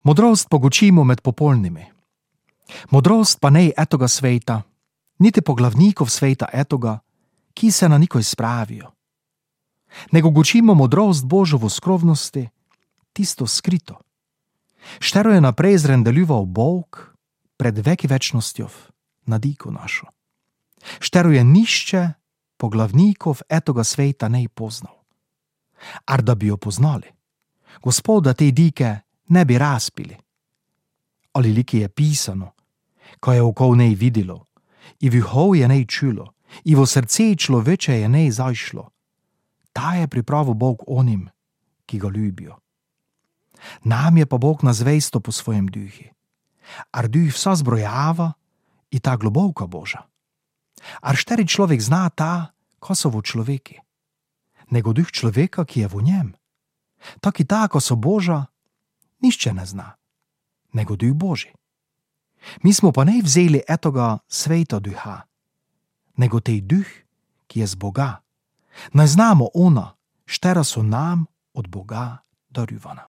Modrost pogučimo med popolnimi. Modrost pa nej etoga sveta, niti poglavnikov sveta etoga, ki se na nikoj spravijo. Nego gučimo modrost Božo v skrovnosti, tisto skrito. Štero je naprej zrendeljival Bog pred veki večnostjo na diku našo. Štero je nišče poglavnikov etoga sveta nej poznal. Ar da bi jo poznali, Gospoda te dike ne bi razpili. Ali liki je pisano, ko je okol nej videlo, i vihov je nej čulo, i v srce človeče je nej zajšlo. Ta je pripravil Bog onim, ki ga ljubijo. Nam je pa Bog nazvesto po svojem duhi. Ar duh vsa zbrojava i ta globovka Boža. Ar šteri človek zna ta, ko so v človeki. Nego duh človeka, ki je v njem. Tak i ta, ko so Boža, nišče ne zna. Nego duh Boži. Mi smo pa ne vzeli etoga sveta duha, nego tej duh, ki je z Boga. Naj znamo ona, štera so nam od Boga darivana.